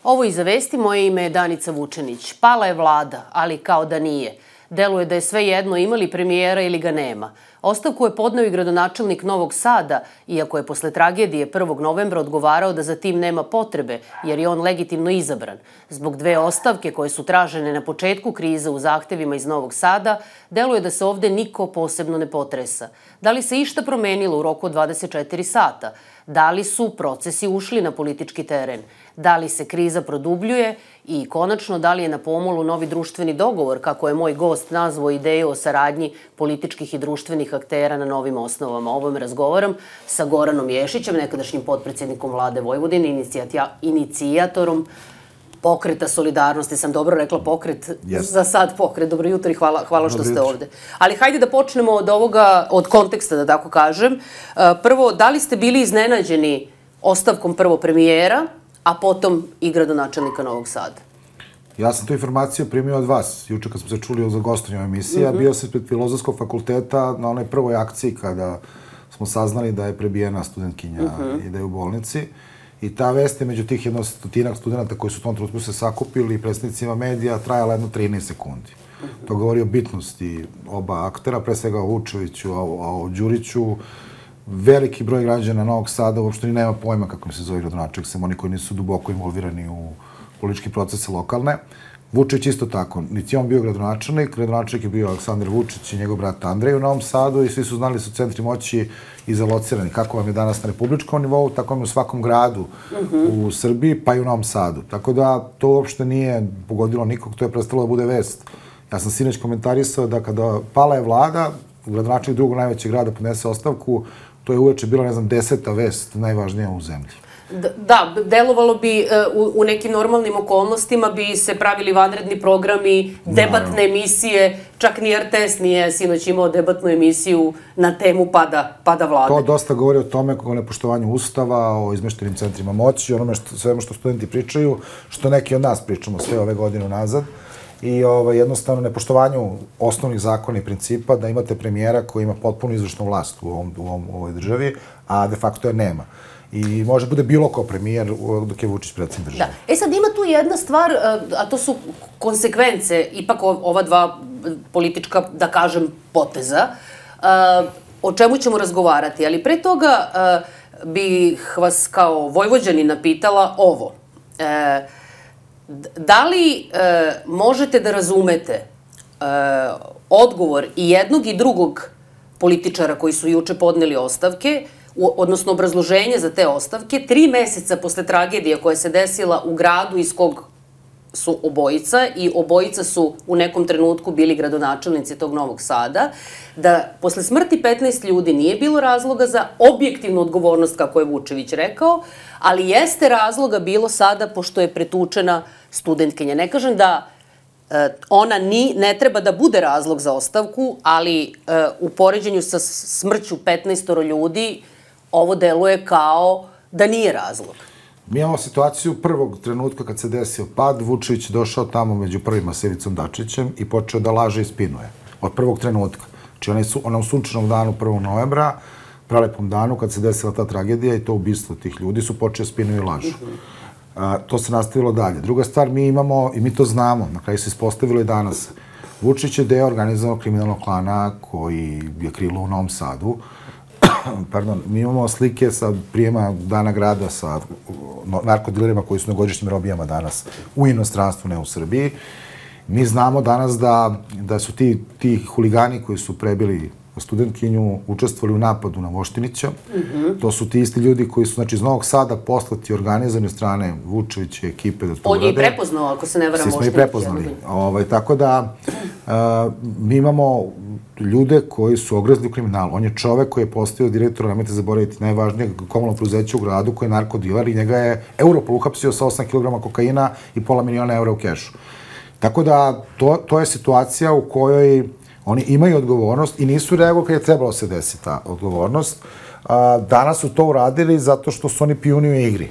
Ovo iza vesti, moje ime je Danica Vučenić. Pala je vlada, ali kao da nije. Deluje da je sve jedno ima li premijera ili ga nema. Ostavku je podneo i gradonačelnik Novog Sada, iako je posle tragedije 1. novembra odgovarao da za tim nema potrebe, jer je on legitimno izabran. Zbog dve ostavke koje su tražene na početku krize u zahtevima iz Novog Sada, deluje da se ovde niko posebno ne potresa. Da li se išta promenilo u roku od 24 sata? Da li su procesi ušli na politički teren? Da li se kriza produbljuje? I konačno, da li je na pomolu novi društveni dogovor, kako je moj gost nazvao ideju o saradnji političkih i društvenih aktera na novim osnovama? O ovome razgovaram sa Goranom Ješićem, nekadašnjim potpredsjednikom vlade Vojvodine, inicijatorom Pokreta solidarnosti. Sam dobro rekla pokret? Za sad pokret. Dobro jutro i hvala što ste ovde. Ali hajde da počnemo od ovoga, od konteksta, da tako kažem. Prvo, da li ste bili iznenađeni ostavkom prvo premijera, a potom i gradonačelnika Novog Sada? Ja sam tu informaciju primio od vas. Juče kad smo se čuli za gostovanje emisija, bio sam ispred Filozofskog fakulteta na onoj prvoj akciji kada smo saznali da je prebijena studentkinja i da je u bolnici. I ta vest je među tih 100 studenta koji su u tom trenutku se sakupili i predstavnicima medija trajala jedno 13 sekundi. To govori o bitnosti oba aktera, pre svega o Vučeviću, o Đuriću. Veliki broj građana Novog Sada uopšte ni nema pojma kako im se zove gradonačelnik, sem oni koji nisu duboko involvirani u politički procese lokalne. Vučević isto tako. Niti on bio gradonačelnik je bio Aleksandar Vučić i njegov brat Andrej u Novom Sadu i svi su znali su centri moći izalocirani. Kako vam je danas na republičkom nivou, tako vam je u svakom gradu u Srbiji, pa i u Novom Sadu. Tako da to uopšte nije pogodilo nikog, to je prestalo da bude vest. Ja sam sinoć komentarisao da kada pala je vlada, gradonačelnik drugog najvećeg grada podnese ostavku, to je uveče bila, 10. vest najvažnija u zemlji. Da, delovalo bi u nekim normalnim okolnostima bi se pravili vanredni programi, debatne emisije, čak ni RTS nije sinoć imao debatnu emisiju na temu pada vlade. To dosta govori o tome o nepoštovanju ustava, o izmeštenim centrima moći, onome svemu što studenti pričaju, što neki od nas pričamo sve ove godine nazad. I jednostavno nepoštovanju osnovnih zakona i principa da imate premijera koji ima potpuno izvršnu vlast u ovoj državi, a de facto je nema. I može bude bilo ko premijer dok je Vučić predsjednik države. Da. Sad ima tu jedna stvar, a to su konsekvence, ipak ova dva politička, da kažem, poteza, o čemu ćemo razgovarati. Ali pre toga bih vas kao Vojvođanina pitala ovo. Da li možete da razumete odgovor i jednog i drugog političara koji su juče podneli ostavke, odnosno obrazloženje za te ostavke, 3 meseca posle tragedije koja se desila u gradu iz kog su obojica i obojica su u nekom trenutku bili gradonačelnici tog Novog Sada, da posle smrti 15 ljudi nije bilo razloga za objektivnu odgovornost, kako je Vučević rekao, ali jeste razloga bilo sada pošto je pretučena studentkinja. Ne kažem da ona ne treba da bude razlog za ostavku, ali u poređenju sa smrću 15 ljudi ovo deluje kao da nije razlog. Mi imamo situaciju prvog trenutka kad se desio pad, Vučević je došao tamo među prvima sa Ivicom Dačićem i počeo da laže i spinuje. Od prvog trenutka. Znači onom sunčanom danu 1. novembra, prelepom danu kad se desila ta tragedija i to ubistvo tih ljudi su počeo spinuju i lažu. To se nastavilo dalje. Druga stvar, mi imamo, i mi to znamo, na kraju se ispostavilo i danas, Vučić je deo organizovanog kriminalnog klana koji je krilo u Novom Sadu. Pardon, mi imamo slike sa prijema Dana grada sa narkodilerima koji su na godišnjim robijama danas u inostranstvu, ne u Srbiji. Mi znamo danas da su ti huligani koji su prebili studentkinju učestvovali u napadu na Voštinića. To su ti isti ljudi koji su, znači, iz Novog Sada poslati organizani od strane Vučevića i ekipe da to urade. On je i prepoznao, ako se ne varam, Voštinića. Svi smo i prepoznali. Tako da, mi imamo ljude koji su ogrezli u kriminalu. On je čovek koji je postao direktor, nemojte zaboraviti, najvažnijeg komunalnog preduzeća u gradu, koji je narkodiler i njega je Europol uhapsio sa 8 kg kokaina i $500 miliona u kešu. Tako da, to je situacija u kojoj oni imaju odgovornost i nisu reagovali kad je trebalo se desiti ta odgovornost. Danas su to uradili zato što su oni pijuni u igri.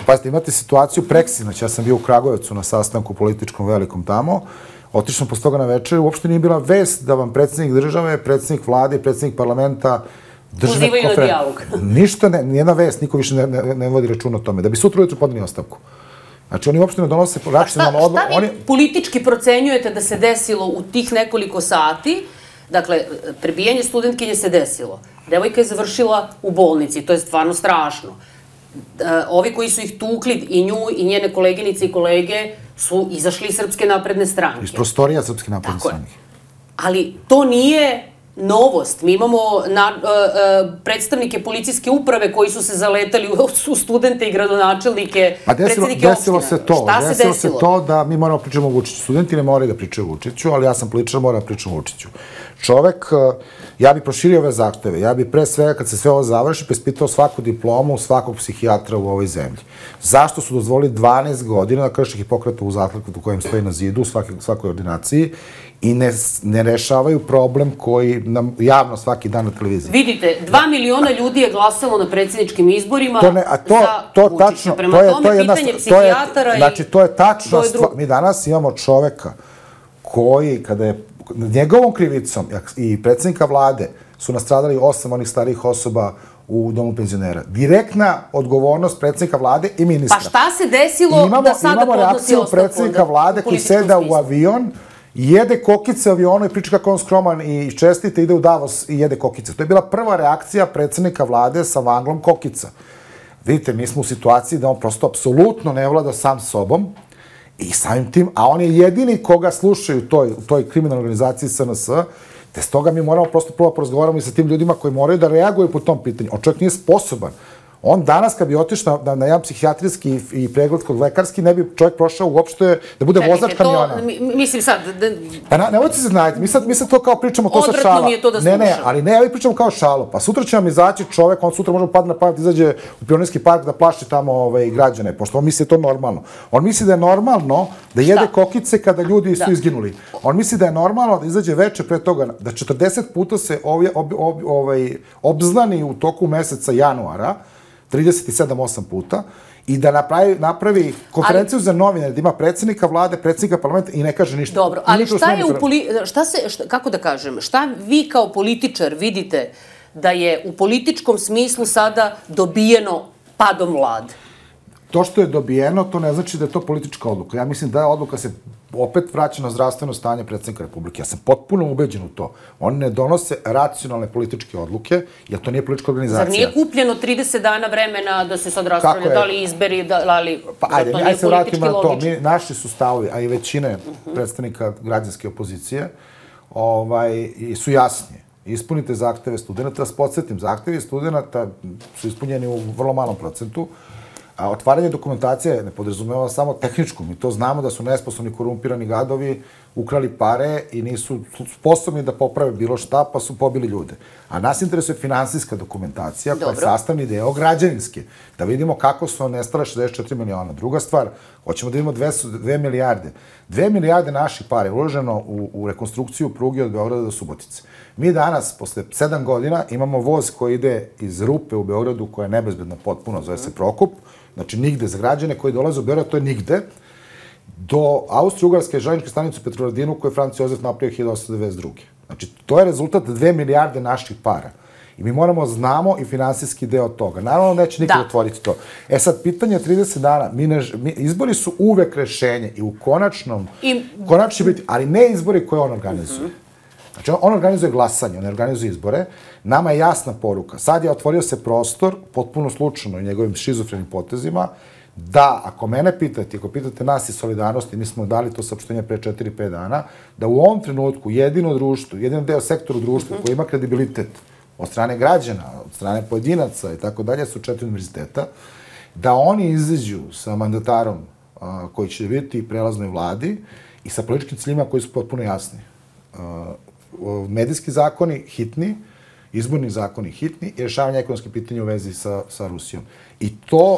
Pazite, imate situaciju preksinoć. Ja sam bio u Kragujevcu na sastanku političkom velikom tamo. Otišao sam posle toga na večer. Uopšte nije bila vest da vam predsjednik države, predsjednik vlade i predsjednik parlamenta pozivaju na dijalog. Ništa, nijedna vest, niko više ne vodi računa o tome. Da bi sutra ujutru podneli ostavku. Znači, oni uopšte ne donose racionalno odluku. Šta vi politički procenjujete da se desilo u tih nekoliko sati? Dakle, prebijanje studentkinje se desilo. Devojka je završila u bolnici, to je stvarno strašno. Ovi koji su ih tukli, i nju, i njene koleginice i kolege, su izašli iz Srpske napredne stranke. Iz prostorija Srpske napredne stranke. Ali to nije novost. Mi imamo predstavnike policijske uprave koji su se zaletali u studente i gradonačelnike, predsednike opština. Desilo se to. Desilo se to da mi moramo pričamo o Vučiću. Studenti ne moraju da pričaju o Vučiću, ali ja sam političar, moram da pričam o Vučiću. Čovek, ja bih proširio ove zahteve. Ja bih pre svega, kad se sve ovo završi, preispitao svaku diplomu svakog psihijatra u ovoj zemlji. Zašto su dozvolili 12 godina da krši Hipokratovu zakletvu kojem stoji na zidu u svakoj ordinaciji i ne rešavaju problem koji nam javno svaki dan na televiziji. Vidite, 2 miliona ljudi je glasalo na predsjedničkim izborima za Vučića. Prema tome, pitanje psihijatara i... Znači, to je tačno. Mi danas imamo čoveka koji, kada je njegovom krivicom i predsjednika vlade su nastradali 8 onih starijih osoba u domu penzionera. Direktna odgovornost predsjednika vlade i ministra. Pa šta se desilo da sada podnosi ostavku? Imamo reakciju predsjednika vlade koji seda u avion, jede kokice u avionu i priča kako on skroman i čestite, ide u Davos i jede kokice. To je bila prva reakcija predsjednika vlade sa vanglom kokica. Vidite, mi smo u situaciji da on prosto apsolutno ne vlada sam sobom i samim tim, a on je jedini koga slušaju u toj kriminalnoj organizaciji SNS, te s toga mi moramo prosto prvo porazgovaramo i sa tim ljudima koji moraju da reaguju po tom pitanju. On čovjek nije sposoban. On danas, kad bi otišao na jedan psihijatrijski i pregled kod lekarski, ne bi čovjek prošao uopšte da bude vozač kamiona. Mislim sad... Nemojte se znajeti, mi sad to kao pričamo, to sa šala. Odvratno mi je to da slušam. Ne, ali ne, mi pričamo kao šalo. Pa sutra će nam izaći čovjek, on sutra može padne na pamet, izađe u Pionirski park da plaši tamo građane, pošto on misli da je to normalno. On misli da je normalno da jede kokice kada ljudi su izginuli. On misli da je normalno da izađe veče pre toga, da 40 puta se obznani u toku meseca januara, 37-8 puta, i da napravi konferenciju za novinare, da ima predsjednika vlade, predsjednika parlamenta i ne kaže ništa. Dobro, ali šta je kako da kažem, šta vi kao političar vidite da je u političkom smislu sada dobijeno padom vlade? To što je dobijeno, to ne znači da je to politička odluka. Ja mislim da odluka se opet vraća na zdravstveno stanje predsjednika Republike. Ja sam potpuno ubeđen u to. Oni ne donose racionalne političke odluke, jer to nije politička organizacija. Zar nije kupljeno 30 dana vremena da se sad raspravlja, da li izberi, da li... Pa ajde se vratimo na to. Naši su stavovi, a i većine predstavnika građanske opozicije, su jasni. Ispunite zahteve studenta. Da se podsjetim, zahtevi studenta su ispunjeni u vrlo malom procentu. A otvaranje dokumentacije ne podrazumeva samo tehničku. Mi to znamo da su nesposobni, korumpirani gadovi ukrali pare i nisu sposobni da poprave bilo šta, pa su pobili ljude. A nas interesuje finansijska dokumentacija, koja je sastavni deo građevinske. Da vidimo kako su nestale 64 miliona. Druga stvar, hoćemo da vidimo 2 milijarde. 2 milijarde naših para je uloženo u rekonstrukciju pruge od Beograda do Subotice. Mi danas, posle 7 godina, imamo voz koji ide iz Rupe u Beogradu, koja je nebezbedna potpuno, zove se Prokop, znači nigde za građane koji dolaze u Beograd, to je nigde, do Austro-Ugarske železničke stanice u Petrovaradinu koju je Franz Josef napravio 1892. Znači, to je rezultat 2 milijarde naših para. I mi moramo znamo i finansijski deo toga. Naravno, neće nikad otvoriti to. Sad, pitanje 30 dana, izbori su uvek rešenje i u konačno će biti, ali ne izbori koje on organizuje. Znači, on organizuje glasanje, on ne organizuje izbore. Nama je jasna poruka. Sad je otvorio se prostor, potpuno slučajno i njegovim šizofrenim potezima, da, ako mene pitate, ako pitate nas iz Solidarnosti, mi smo dali to saopštenje pre 4-5 dana, da u ovom trenutku jedino društvo, jedino deo sektora društva koji ima kredibilitet od strane građana, od strane pojedinaca i tako dalje, su 4 univerziteta, da oni izađu sa mandatarom koji će biti u prelaznoj vladi i sa političkim ciljima koji su potpuno jasni. Medijski zakoni hitni, izborni zakoni hitni i rešavanje ekonomske pitanja u vezi sa Rusijom.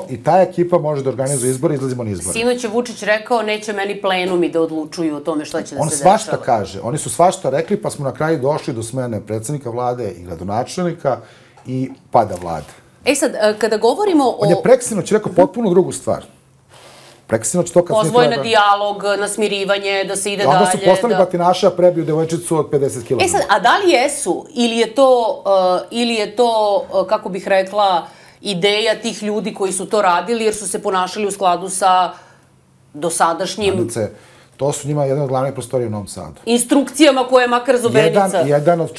I ta ekipa može da organizuje izbore i izlazimo na izbore. Sinoć je Vučić rekao, neće meni plenumi da odlučuju o tome šta će da se dešava. On svašta kaže. Oni su svašta rekli, pa smo na kraju došli do smene predsjednika vlade i gradonačelnika i pada vlade. Sad, kada govorimo o... On je preksinoć rekao potpuno drugu stvar. Pozvoj na dijalog, na smirivanje, da se ide dalje. Onda su postali batinaša, prebiju devojčicu od 50 kg. Sad, a da li jesu? Ili je to, kako bih rekla, ideja tih ljudi koji su to radili, jer su se ponašali u skladu sa dosadašnjim to su njima jedna od glavnih prostorija u Novom Sadu. Instrukcijama koje je makar Zobenica Jedan od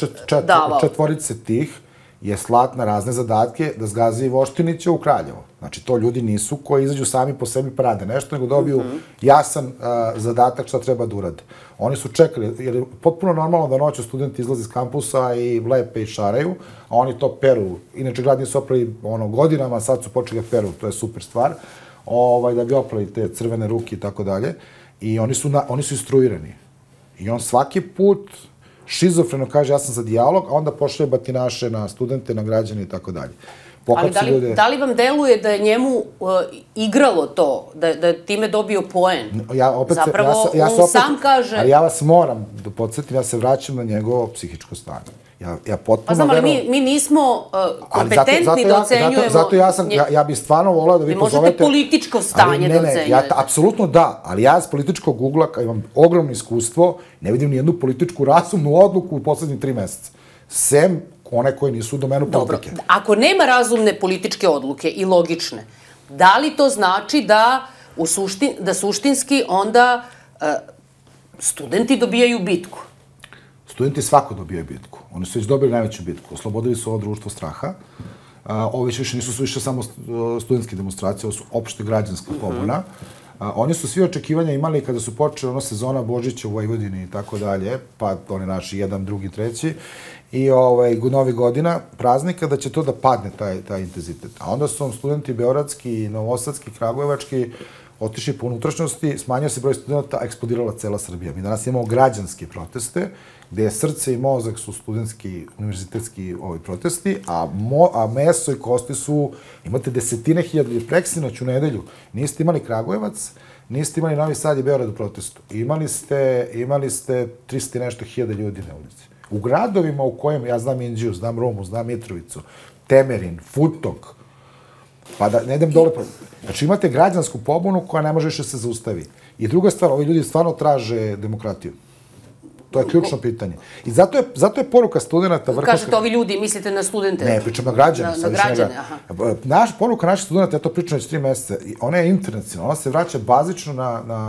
četvorice tih je slat na razne zadatke da zgazi i Voštinića u Kraljevo. Znači, to ljudi nisu koji izađu sami po sebi pa rade nešto, nego dobiju jasan zadatak šta treba da urade. Oni su čekali, jer je potpuno normalno da noću studenti izlaze iz kampusa i lepe i šaraju, a oni to peru. Inače, grad nisu oprali godinama, sad su počeli da peru, to je super stvar, da bi oprali te crvene ruke i tako dalje. I oni su instruirani. I on svaki put šizofreno kaže ja sam za dijalog, a onda pošalje batinaše na studente, na građane i tako dalje. Ali da li vam deluje da je njemu igralo to, da je time dobio poen? Zapravo, on sam kaže... Ali ja vas moram da podsjetim, ja se vraćam na njegovo psihičko stanje. Pa znam, ali mi nismo kompetentni da ocenjujemo... Zato ja bih stvarno volao da vi pozovete... Vi možete političko stanje da ocenjujete. Apsolutno da, ali ja s političkog ugla, kad imam ogromno iskustvo, ne vidim ni jednu političku razumnu odluku u poslednjih 3 meseca. Sem one koje nisu u domenu politike. Dobro, ako nema razumne političke odluke i logične, da li to znači da suštinski onda studenti dobijaju bitku? Studenti svako dobijaju bitku. Oni su već dobili najveću bitku. Oslobodili su ovo društvo straha. Ovo više nisu više samo studentske demonstracije, ovo su opšte građanska pobuna. Oni su svi očekivanja imali kada su počeli sezona Božića u Vojvodini i tako dalje, pa oni naši 1, 2, 3. I Novi godina, praznika, da će to da padne, taj intenzitet. A onda su studenti beogradski, novosadski, kragujevački otišli po unutrašnjosti, smanjio se broj studenta, a eksplodirala cela Srbija. Mi danas imamo građanske proteste, gde je srce i mozak su studentski, univerzitetski protesti, a meso i kosti su, imate desetine hiljada, preksinoć u nedelju. Niste imali Kragujevac, niste imali Novi Sad i Beograd u protestu. Imali ste 300 i nešto hiljada ljudi na ulici. U gradovima u kojem, ja znam Inđiju, znam Rumu, znam Mitrovicu, Temerin, Futog, pa da ne idem dole, znači imate građansku pobunu koja ne može više se zaustavi. I druga stvar, ovi ljudi stvarno traže demokratiju. To je ključno pitanje. I zato je poruka studenta... Kažete ovi ljudi, mislite na studente? Ne, pričam na građane. Na građane, aha. Poruka naših studenta, ja to pričam već 3 meseca, ona je internacionalna, ona se vraća bazično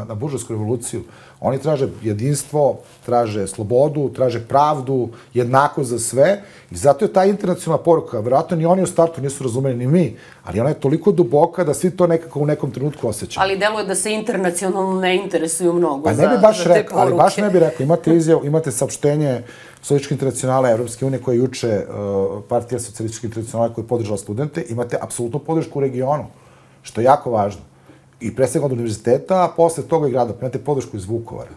na buržovsku revoluciju. Oni traže jedinstvo, traže slobodu, traže pravdu, jednako za sve. I zato je ta internacionalna poruka, verovatno ni oni u startu nisu razumeli, ni mi, ali ona je toliko duboka da svi to nekako u nekom trenutku osjećaju. Ali deluje da se internacionalno ne interesuju mnogo za te poruke. Ali baš ne bih rekao, imate saopštenje Socijalističke internacionale Evropske unije koje juče Partija Socijalističke internacionale koja je podržala studente, imate apsolutnu podršku u regionu, što je jako važno. I pre svega od univerziteta, a posle toga i grada. Imate podršku iz Vukovara.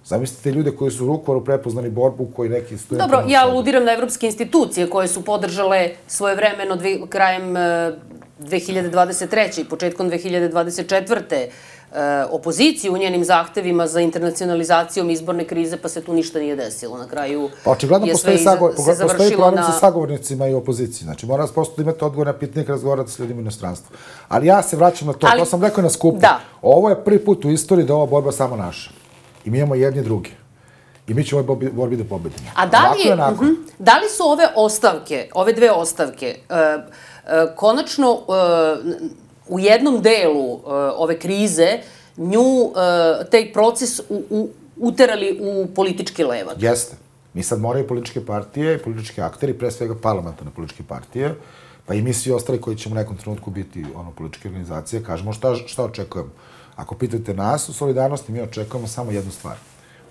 Zamislite ljude koji su u Vukovaru prepoznali borbu koji neki studenti... Dobro, ja aludiram na evropske institucije koje su podržale svojevremeno krajem 2023. i početkom 2024. opoziciju u njenim zahtevima za internacionalizacijom izborne krize, pa se tu ništa nije desilo. Na kraju je sve se završilo na... Postoji problem sa sagovornicima i opoziciji. Znači, mora vas prosto da imate odgovor na pitanje kad razgovarate s ljudima u inostranstvu. Ali ja se vraćam na to. To sam rekao na skupu. Ovo je prvi put u istoriji da ova borba samo naša. I mi imamo jedni drugi. I mi ćemo ovoj borbi da pobedimo. A da li su ove ostavke, ove 2 ostavke, konačno u jednom delu ove krize taj proces uterali u politički levak? Jeste. Mi sad moraju političke partije i politički akteri, pre svega parlamentarne političke partije, pa i mi svi ostali koji ćemo u nekom trenutku biti političke organizacije, kažemo šta očekujemo. Ako pitate nas u solidarnosti, mi očekujemo samo jednu stvar.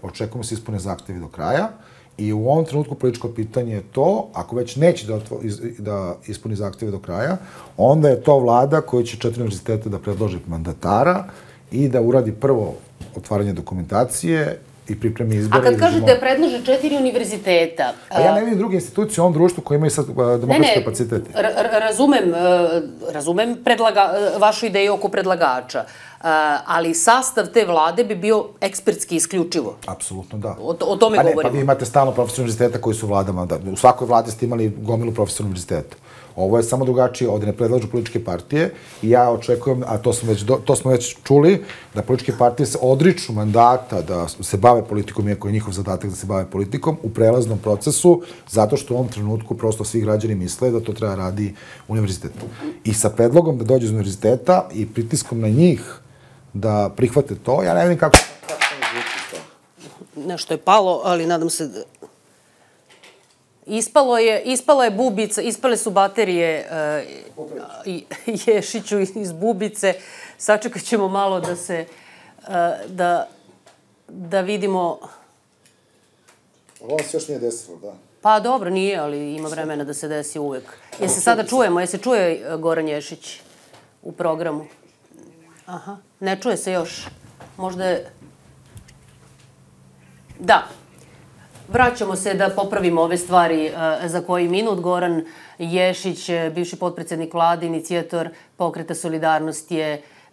Očekujemo se ispune zahtevi do kraja i u ovom trenutku političko pitanje je to, ako već neće da ispuni zahteve do kraja, onda je to vlada koja će 4 univerziteta da predloži mandatara i da uradi prvo otvaranje dokumentacije i pripremi izbore. A kad kažete predlože 4 univerziteta... Pa ja ne vidim druge institucije u ovom društvu koje imaju sad demokratske kapacitete. Razumem vašu ideju oko predlagača, ali sastav te vlade bi bio ekspertski isključivo. Apsolutno da. O tome govorimo. Pa vi imate stalno profesora univerziteta koji su u vladama. U svakoj vladi ste imali gomilu profesora univerziteta. Ovo je samo drugačije, ovde ne predlažu političke partije i ja očekujem, a to smo već čuli, da političke partije se odriču mandata da se bave politikom, iako je njihov zadatak da se bave politikom, u prelaznom procesu, zato što u ovom trenutku prosto svi građani misle da to treba radi univerzitet. I sa predlogom da dođe iz univerziteta i pritiskom na njih da prihvate to. Ja ne vidim kako... Nešto je palo, ali nadam se da... Ispala je bubica, ispale su baterije Ješiću iz bubice. Sačekat ćemo malo da se, da vidimo... Ovo se još nije desilo, da. Pa dobro, nije, ali ima vremena da se desi uvek. Jel se sada čujemo? Jel se čuje Goran Ješić u programu? Aha, ne čuje se još. Možda je... Da. Vraćamo se da popravimo ove stvari za koji minut. Goran Ješić, bivši potpredsednik vlade, inicijator Pokreta Solidarnost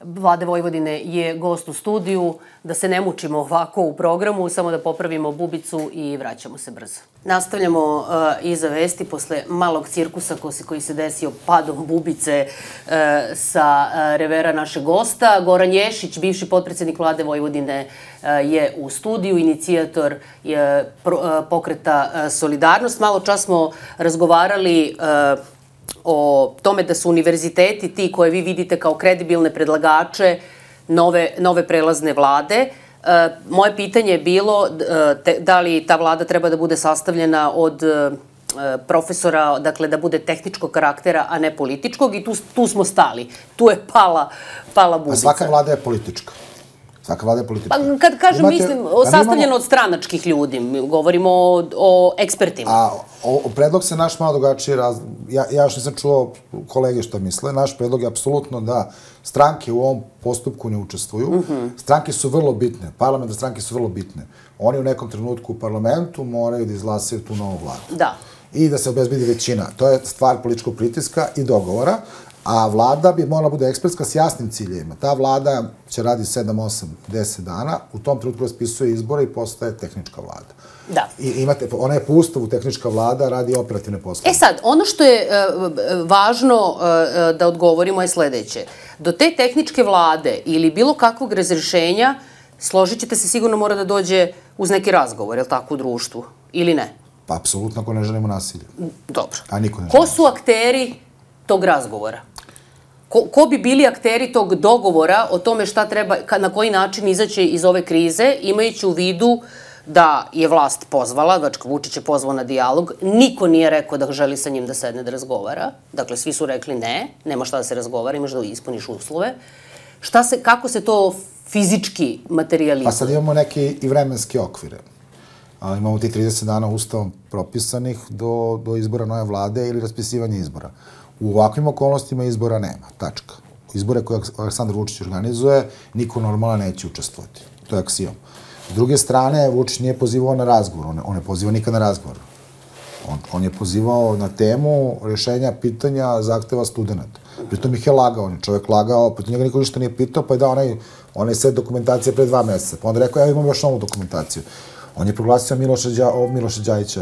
Vlade Vojvodine je gost u studiju. Da se ne mučimo ovako u programu, samo da popravimo bubicu i vraćamo se brzo. Nastavljamo iza vesti posle malog cirkusa koji se desio padom bubice sa revera našeg gosta. Goran Ješić, bivši potpredsednik Vlade Vojvodine, je u studiju, inicijator Pokreta Solidarnost. Malo čas smo razgovarali o tome da su univerziteti ti koje vi vidite kao kredibilne predlagače nove prelazne vlade. Moje pitanje je bilo da li ta vlada treba da bude sastavljena od profesora, dakle da bude tehničkog karaktera, a ne političkog, i tu smo stali. Tu je pala bubica. A svaka vlada je politička. Svaka vlada je politička. Pa kad kažem, mislim, sastavljeno od stranačkih ljudi, govorimo o ekspertima. A predlog se naš malo drugačije ja još nisam čuo kolege što misle. Naš predlog je apsolutno da stranke u ovom postupku ne učestvuju. Stranke su vrlo bitne, parlamentarne stranke su vrlo bitne. Oni u nekom trenutku u parlamentu moraju da izglasaju tu novu vladu. Da. I da se obezbedi većina. To je stvar političkog pritiska i dogovora. A vlada bi morala bude ekspertska s jasnim ciljevima. Ta vlada će radi 7, 8, 10 dana, u tom trenutku raspisuje izbore i postaje tehnička vlada. Da. I ona je po ustavu tehnička vlada, radi operativne poslove. Sad, ono što je važno da odgovorimo je sledeće. Do te tehničke vlade ili bilo kakvog razrešenja, složit ćete se, sigurno mora da dođe uz neki razgovor, je li tako, u društvu? Ili ne? Pa, apsolutno, ako ne želimo nasilje. Dobro. A niko ne želi. Ko su akteri tog razgovora? Ko bi bili akteri tog dogovora o tome šta treba, na koji način izaći iz ove krize, imajući u vidu da je vlast pozvala, znači Vučić je pozvao na dijalog, niko nije rekao da želi sa njim da sedne da razgovara, dakle svi su rekli ne, nema šta da se razgovara, imaš da ispuniš uslove. Kako se to fizički materializuje? Pa sad imamo neke i vremenske okvire. Imamo ti 30 dana ustavom propisanih do izbora nove vlade ili raspisivanja izbora. U ovakvim okolnostima izbora nema, tačka. Izbore koje Aleksandar Vučić organizuje, niko normalno neće učestvovati. To je aksijom. S druge strane, Vučić nije pozivao na razgovor, on ne poziva nikad na razgovor. On je pozivao na temu rešenja pitanja zahteva studenta. Pritom ih je lagao, on je čovek lagao, pritom njega niko ništa nije pitao, pa je dao onaj set dokumentacije pre 2 meseca. Pa onda rekao, ja imam još novu dokumentaciju. On je proglasio Miloša Đajića,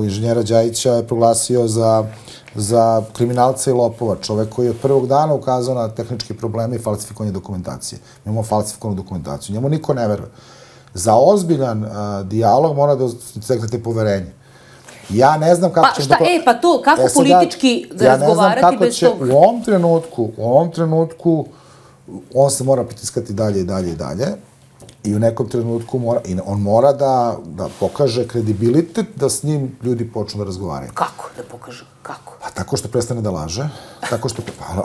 inženjera Đajića je proglasio za kriminalca i lopova, čovek koji je od prvog dana ukazao na tehničke probleme i falsifikovanje dokumentacije. Mi imamo falsifikovanu dokumentaciju, njemu niko ne veruje. Za ozbiljan dijalog mora da steknete poverenje. Ja ne znam kako će... Pa to, kako politički razgovarati bez tog... U ovom trenutku, on se mora pritiskati dalje i dalje i dalje. I u nekom trenutku on mora da pokaže kredibilitet da s njim ljudi počnu da razgovaraju. Kako da pokaže? Kako? Pa tako što prestane da laže,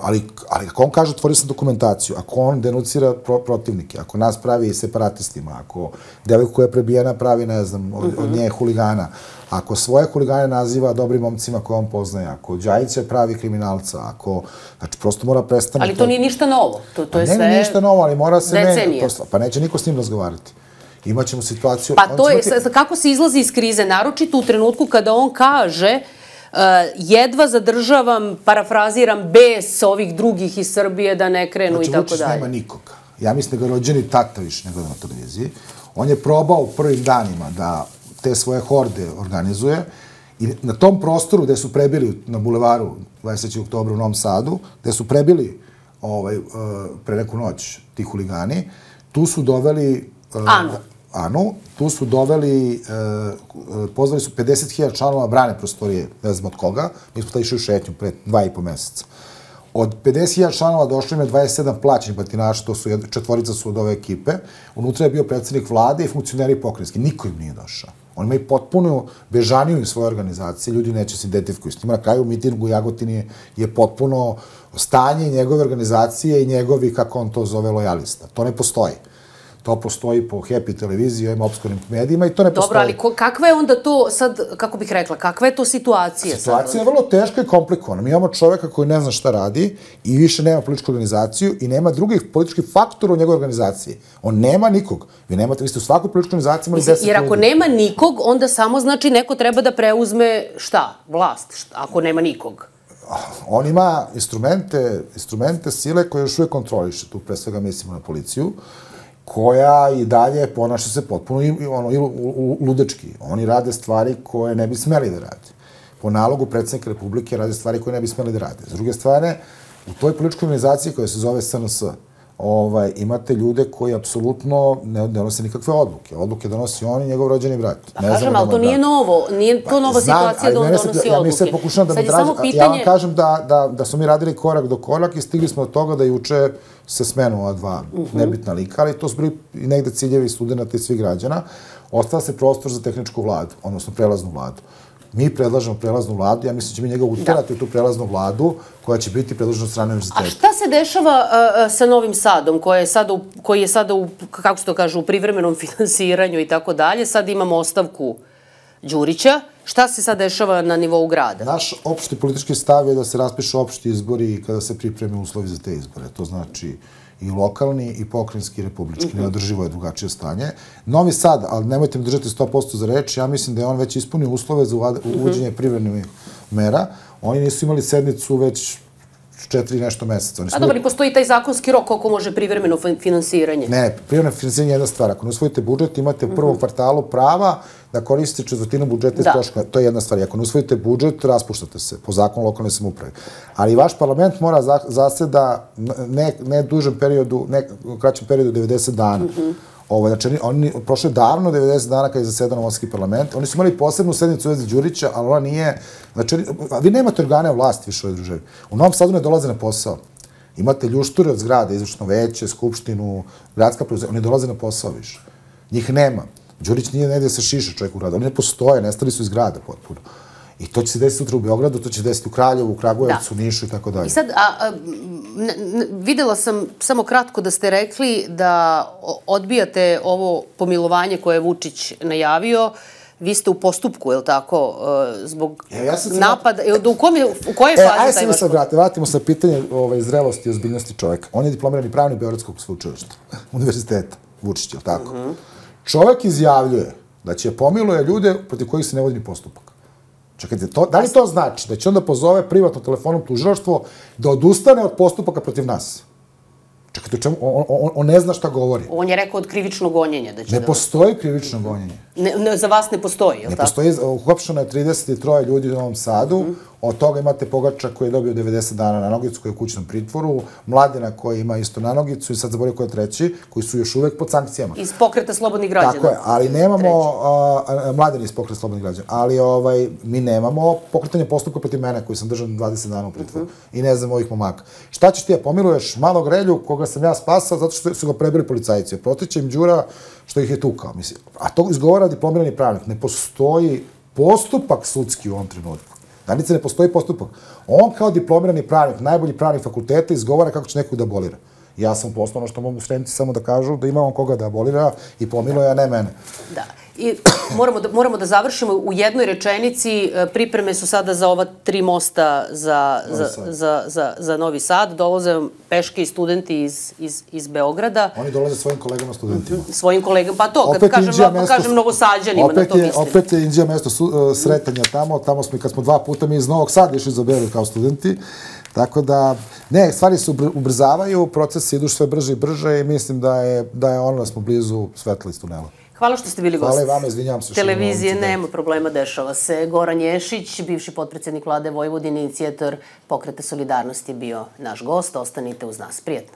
ali ako on kaže otvorio sam dokumentaciju, ako on denucira protivnike, ako nas pravi separatistima, ako devojku koja je prebijena pravi, ne znam, od nje huligana, ako svoje huligane naziva dobrim momcima koje on poznaje, ako Đajića pravi kriminalca, znači prosto mora prestane... Ali to nije ništa novo, to je sve... Ne, ništa novo, ali mora se... Decenije. Pa neće niko s njim razgovarati. Imaćemo situaciju... Pa to je, kako se izlazi iz krize, naročito u trenutku kada on kaže jedva zadržavam, parafraziram, bes ovih drugih iz Srbije da ne krenu i tako dalje. Znači, Vučić nema nikoga. Ja mislim da ga rođeni tata više ne gleda na televiziji. On je probao u prvim danima da te svoje horde organizuje i na tom prostoru gde su prebili na bulevaru 23. oktobra u Novom Sadu, gde su prebili pre neku noć ti huligani, tu su doveli Anu, tu su doveli, pozvali su 50.000 članova brane prostorije, ne znam od koga, mi smo tada išli u šetnju pre 2,5 meseca. Od 50.000 članova došlo im je 27 plaćenih batinaša, to su četvorica su od ove ekipe. Unutra je bio predsjednik vlade i funkcioneri pokrajinski. Niko im nije došao. Oni imaju potpuno bežaniju u svojoj organizaciji, ljudi neće se identifikuju s njima. Na kraju mitingu u Jagotini je potpuno stanje njegove organizacije i njegovi, kako on to zove, lojalista. To ne postoji. To postoji po Happy televiziji, ovim obskurnim medijima i to ne postoji. Dobro, ali kakva je onda to sad, kako bih rekla, kakva je to situacija? Situacija je vrlo teška i komplikovana. Mi imamo čoveka koji ne zna šta radi i više nema političku organizaciju i nema drugih političkih faktora u njegovoj organizaciji. On nema nikog. Vi ste u svakoj političkoj organizaciji imali 10 ljudi. Jer ako nema nikog, onda samo znači neko treba da preuzme šta? Vlast, ako nema nikog. On ima instrumente sile koje još uvijek kontroliše. Tu pre svega mislimo na policiju, koja i dalje ponaša se potpuno ludečki. Oni rade stvari koje ne bi smeli da rade. Po nalogu predsjednika Republike rade stvari koje ne bi smeli da rade. S druge strane, u toj političkoj organizaciji koja se zove SNS, imate ljude koji apsolutno ne donose nikakve odluke. Odluke donosi on i njegov rođeni brat. Pa kažem, ali to nije novo. Nije to nova situacija da on donosi odluke. Ja mi se pokušavam da me draži. Ja vam kažem da smo mi radili korak do korak i stigli smo od toga da juče se smenu ova dva nebitna lika, ali to su bili i negde ciljevi studenta i svih građana. Ostala se prostor za tehničku vladu, odnosno prelaznu vladu. Mi predlažemo prelaznu vladu, ja mislim da će mi njega uterati u tu prelaznu vladu koja će biti predložena od strane univerziteta. A šta se dešava sa Novim Sadom, koji je sada, kako se to kaže, u privremenom finansiranju i tako dalje? Sad imamo ostavku Đurića. Šta se sad dešava na nivou grada? Naš opšti politički stav je da se raspišu opšti izbori kada se pripreme uslovi za te izbore. To znači i lokalni, i pokrajinski, i republički. Neodrživo je drugačije stanje. Novi Sad, ali nemojte mi držati 100% za reč, ja mislim da je on već ispunio uslove za uvođenje privremenih mera. Oni nisu imali sednicu već 4 nešto meseca. A dobro, i postoji taj zakonski rok koliko može privremeno finansiranje? Ne, privremeno finansiranje je jedna stvar. Ako ne usvojite budžet, imate u prvom kvartalu prava da koristite četvrtinu budžeta iz troškova. To je jedna stvar. Ako ne usvojite budžet, raspuštate se po zakonu lokalne samouprave. Ali vaš parlament mora zaseda ne dužem periodu, ne kraćem periodu 90 dana. Znači, oni prošle davno 90 dana kada je zasedao novosadski parlament. Oni su imali posebnu sednicu u vezi Đurića, ali ona nije... Znači, vi nemate organe vlasti više u ovoj državi. U Novom Sadu ne dolaze na posao. Imate ljušture od zgrade, izvršno veće, skupštinu, gradska preduzeća. Oni dolaze na posao više. Njih nema. Đurić nije negdje se šiša čovjek u gradu. Oni ne postoje, nestali su iz grada potpuno. I to će se desiti sutra u Beogradu, to će se desiti u Kraljevu, u Kragujevcu, Nišu i tako dalje. I sad, videla sam samo kratko da ste rekli da odbijate ovo pomilovanje koje je Vučić najavio. Vi ste u postupku, je li tako, zbog napada? U kojoj fazi taj vaš postupku? Ajde se vratimo sa pitanje zrelosti i ozbiljnosti čovjeka. On je diplomirani pravnik Beogradskog sveučilišta, univerziteta, Vučić, je li tako? Čovjek izjavljuje da će pomiluje ljude protiv kojih se ne vodi ni postupak. Čekajte, da li to znači da će onda pozove privatno telefonom tužilaštvo da odustane od postupaka protiv nas? Čekajte, on ne zna šta govori. On je rekao od krivičnog gonjenja. Ne postoji krivično gonjenje. Za vas ne postoji, je li tako? Ne postoji, uhapšeno je 33 ljudi u Novom Sadu, od toga imate Pogača koji je dobio 90 dana na nogicu, koji je u kućnom pritvoru, Mladena koji ima isto na nogicu i sad zaboravio koji je treći, koji su još uvek pod sankcijama. Iz Pokreta slobodnih građana. Tako je, ali nemamo, Mladen iz Pokreta slobodnih građana, ali mi nemamo pokretanje postupka protiv mene koji sam držan 20 dana u pritvoru i ne znam ovih momaka. Šta ćeš ti da pomiluješ malog Relju koga sam ja spasao zato što su ga prebili policajci. Protiče im Đura što ih je tukao. A to izgovara diplomirani pravnik. Ne postoji postupak sudski u ovom trenutku. Danica, ne postoji postupak. On kao diplomirani pravnik, najbolji pravnik fakulteta, izgovara kako će nekog da abolira. Ja sam poslovno što mogu srednici samo da kažu da ima on koga da abolira i pomiluje, a ne mene. Da. I moramo da završimo u jednoj rečenici. Pripreme su sada za ova 3 mosta za Novi Sad. Dolaze peške i studenti iz Beograda. Oni dolaze svojim kolegama studentima. Svojim kolegama, pa to, kad kažem Novosađanima, na to mislim. Opet je Inđija mesto sretanja tamo. Tamo smo, kad smo 2 puta mi iz Novog Sada išli za Beograd kao studenti. Tako da, ne, stvari se ubrzavaju, procesi idu sve brže i brže i mislim da je ono da smo blizu svetla iz tunela. Hvala što ste bili gost. Hvala i vama, izvinjam se. Televizije, nema problema, dešava se. Goran Ješić, bivši potpredsjednik vlade Vojvodine, inicijator Pokreta solidarnosti, bio naš gost. Ostanite uz nas. Prijetno.